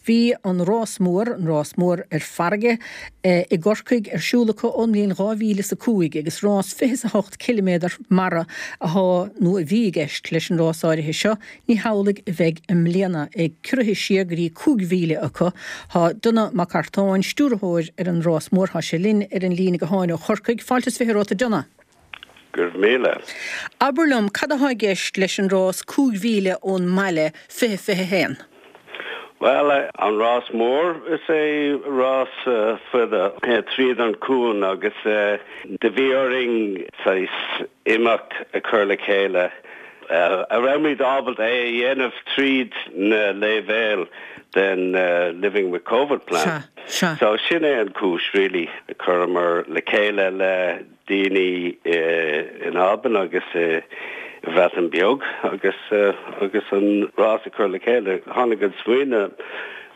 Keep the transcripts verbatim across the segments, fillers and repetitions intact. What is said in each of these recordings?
Bhí an rás mór, an rás mór ar farraige i gCorcaigh ar siúl acu ón mbliain dhá mhíle is a cúig agus rás fiche is a hocht ciliméadar mara atá nó a bhí i gceist leis an rás áirithe seo. Ní hamhlaidh a bheidh i mbliana, é ciorraithe siar go dtí cúig mhíle acu. Tá Donagh Mac Artáin, stiúrthóir ar an rás mór, tá sé linn ar an líne gutháin ó Chorcaigh. Fáilte is fiche romhat, a Donagh. Go raibh míle. Abair liom, cad atá i gceist leis an rás cúig mhíle ón mbaile fiche fiche haon? Bhuel, an rás mór, is é rás fada tríd an cuan agus do bhí orainn saghas imeacht a chur le chéile a raibh muid ábalta é a dhéanamh tríd na leibhéil den Living with Covid plan. Sea, sea. So sin é an cúis really a chuireamar le chéile le daoine in Albain agus i Bhreatain Beag agus agus an rás a chur le chéile. Tháinig an smaoineamh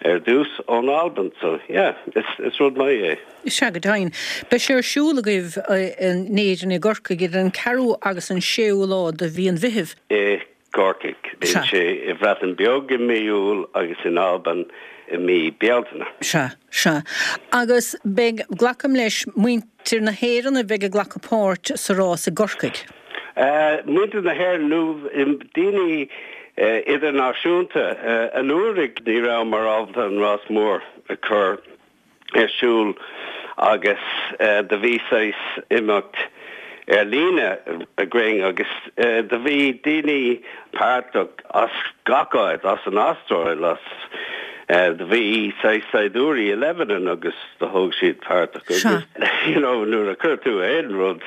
ar dtús ón Albain, so yeah, is is rud maith é. Sea, go deimhin. Beidh sé ar siúl agaibh in Éirinn i gCorcaigh idir an ceathrú agus an séú lá de mhí an Mheithimh. I gCorcaigh. Bíonn sé i Bhreatain Beag i mí Iúil agus in Albain i mí Bealtaine. Sea, sea. Agus beidh, glacaim leis, muintir na hÉireann a bheidh ag glacadh páirt sa rás i gCorcaigh? Muintir na hÉireann nó daoine idirnáisiúnta. Anuraidh ní rabhamar ábalta an rás mór a chur ar siúl agus do bhí saghas imeacht ar líne againn agus do bhí daoine páirteach as gach áit, as an Astráil, as do bhí saghas saighdiúirí i Lebanon agus do thóg siad páirteach agus you know nuair a chuir tú aon rud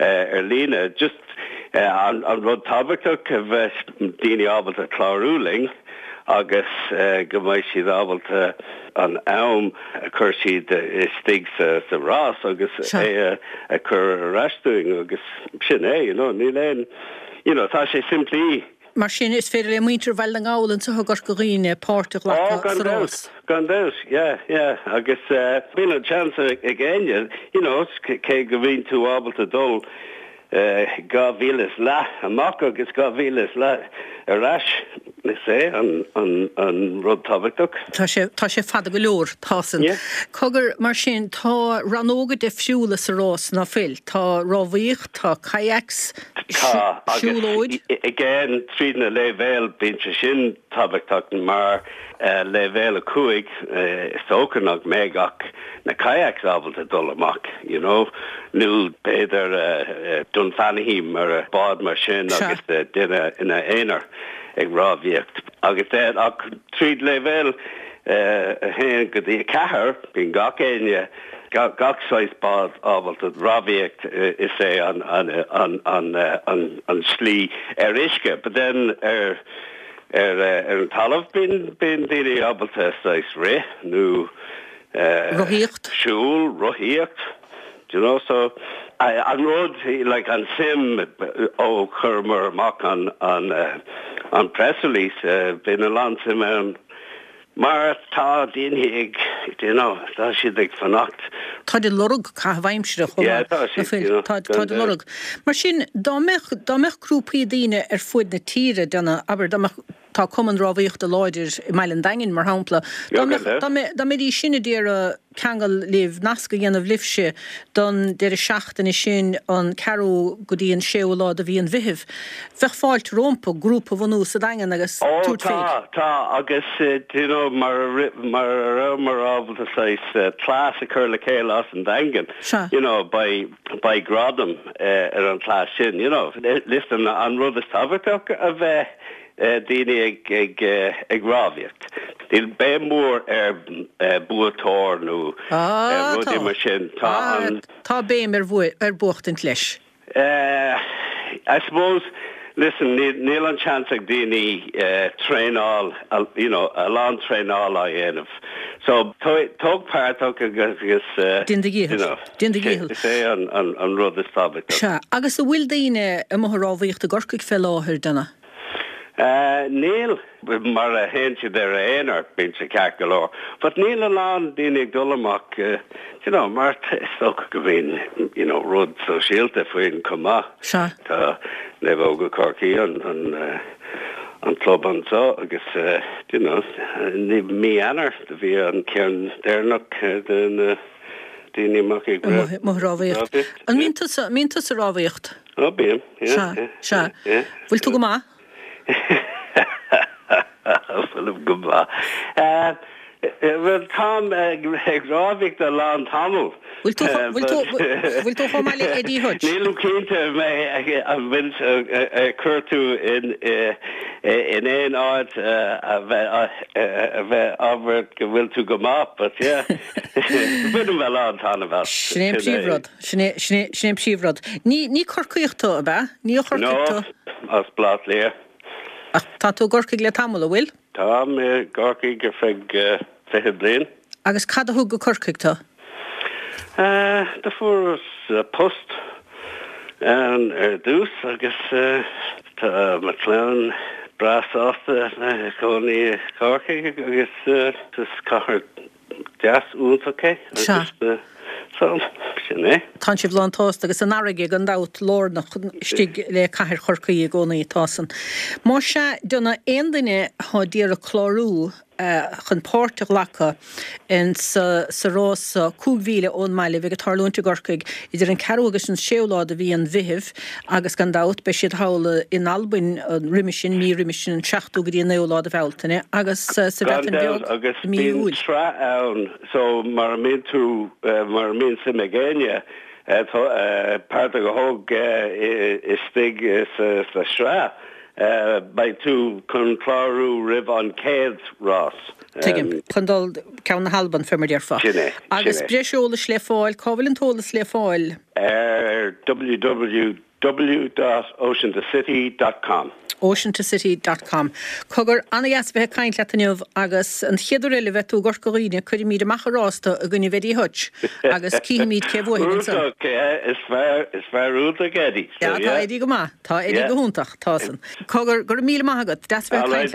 ar líne just an an rud tábhachtach a bheith daoine ábalta clárú linn agus go mbeidh siad ábalta an am a chur siad istigh sa sa rás agus é a chur ar ais dúinn agus sin é, you know, níl aon, you know, tá sé simplí. Mar sin, is féidir le muintir Bhaile na nGall anseo i gCorca Dhuibhne páirt a ghlacadh sa rás. Gan dabht, yeah, yeah, agus bíonn an seans ag éinne, you know, cé go mbíonn tú ábalta dul dhá mhíle is leath amach agus dhá mhíle is leath ar ais, is é an an an rud tábhachtach. Tá sé tá sé fada go leor, tá san. Yeah. Cogar, mar sin, tá rannóga difriúla sa rás, ná fuil? Tá rámhaíocht, tá kayaks, Tá, agus siúlóid. again tríd na leibhéil bíonn sé sin tábhachtach mar leibhéal a cúig is dócha nach mbeidh ach na kayaks ábalta dul amach, you know, nó b'fhéidir Dunfanaghy mar bád mar sin agus duine ina aonar ag rámhaíocht. Agus then ach tríd leibhéal a haon go dtí a ceathair bíonn gach éinne gach saghas bád ábalta rámhaíocht is é an an an an an an slí ar uisce, but then ar ar ar an talamh bíonn bíonn daoine ábalta saghas rith nó Rothaíocht? siúl, rothaíocht, do you know, so an rud like an suim ó chuireamar amach an an an press release bíonn a lán suim ann mar tá daoine ag you know, tá siad ag fanacht. Tá de lorg caitheamh aimsire chomh Yeah, maith. tá siad, you know, Tá tá de lorg. Mar sin dá mbeadh dá mbeadh grúpaí daoine ar fud na tíre déanamh abair dá mbeadh tá cumann rámhaíochta láidir i mBaile an Daingin mar shampla. Dá mbeadh dá mbeadh dá mbeidís sin ag iarraidh ceangal libh nasc a dhéanamh libhse don deireadh seachtaine sin an ceathrú go dtí an séú lá de mhí an Mheithimh. Bheadh fáilte rompu grúpa a bhunú sa Daingean agus Ó tabhairt tá féig. tá agus do you know mar mar a rabhamar ábalta saghas cleas a chur le chéile as an Daingean. Sea. You know beidh beidh gradam ar an cleas sin, you know. Listen an rud is tábhachtach a bheith daoine ag ag ag rámhaíocht. Níl béim mór ar buaiteoir nó Ah, rudaí tá. mar sin. Tá Ah, an tá béim ar bhua ar buachtaint leis. Uh, I suppose listen níl níl an chance ag daoine uh, traenáil you know a lán traenáil a dhéanamh. So tóg páirt agus agus uh, Déan do you dhícheall. know, Déan do dhícheall. Is é an an an rud is tábhachtach. Sea, agus an bhfuil daoine i mbun rámhaíocht i gCorcaigh fé láthair Donagh. Uh, níl mar a théann siad ar aonar bíonn sé ceart go leor. But níl a lán daoine ag dul amach uh, you know, mar is dócha go mbíonn you know, rud sóisialta faoin chomh maith. Sea. Tá Naomhóga Chorcaí an an uh, an club anseo agus you know ní mí Eanáir do bhí an ceann deireanach de na daoine amach ag rámhaíocht. An mbíonn tusa mbíonn tusa ag rámhaíocht? Ó bím, Sea, sea. Bhfuil tú go maith? Fuilim go maith. Bhuel táim ag rámhaíocht le lán tamall. Bhfuil tú bhfuil tú chomh maith le Eddie Hutch? Nílim cinnte mé an bhfuil chuir tú in in aon áit a bheith a bheith ábhar go bhfuil tú go maith, but yeah. Bainim a lán taitneamh as. Sin é an príomhrud. Sin é sin é sin é an príomhrud. Ní ní Corcaíoch tú, ab ea? Ní ó Chorcaigh tú? No, as Baile Átha Cliath. Ach tá tú i gCorcaigh le tamall, an bhfuil? Táim i gCorcaigh ar feadh fiche bliain. Agus cad a thug go Corcaigh tú? Do fuaireas post ann ar dtús agus tá mo chlann breá sásta a bheith ina gcónaí i gCorcaigh agus is cathair deas iontach é agus so sin é. Tá sibh lán tsásta agus an fharraige gan dabht lárnach istigh le cathair Chorcaí i gcónaí tá san. Más ea do aon duine atá d'iarraidh clárú chun páirt a ghlacadh in sa sa rás cúig mhíle ón mbaile bheidh ag tarlúint i gCorcaigh idir an ceathrú agus an séú lá de mhí an Mheithimh agus gan dabht beidh siad thall in Albain roimhe sin mí roimhe sin an seachtú go dtí an naoú lá de Bhealtaine agus sa Gan Bhreatain dabht Bheag agus i mí bíonn Iúil. sraith ann so mar a mbíonn tú mar a mbíonn suim ag éinne páirt a ghlacadh istigh sa sraith beidh tú chun clárú roimh an chéad rás. Tuigim chun dul ceann na hAlban fé mar déarfá. Sin é, sin Agus é. breis eolais le fáil, cá bhfuil an t-eolas le fáil? Ar www dot ocean to city dot com. ocean to city dot com. Cogar an-dheas bheith ag caint leat inniu agus an chéad uair eile a bheidh tú i gCorca Dhuibhne cuirfimid amach ar rás tú i gcoinne Eddie Hutch agus cífimid cé bhuafaidh ansan. Iontach, is fear is fear iontach Eddie. Ja, tá Eddie go maith, tá Eddie go hiontach, tá san. Cogar go raibh míle maith agat, deas bheith ag caint leat.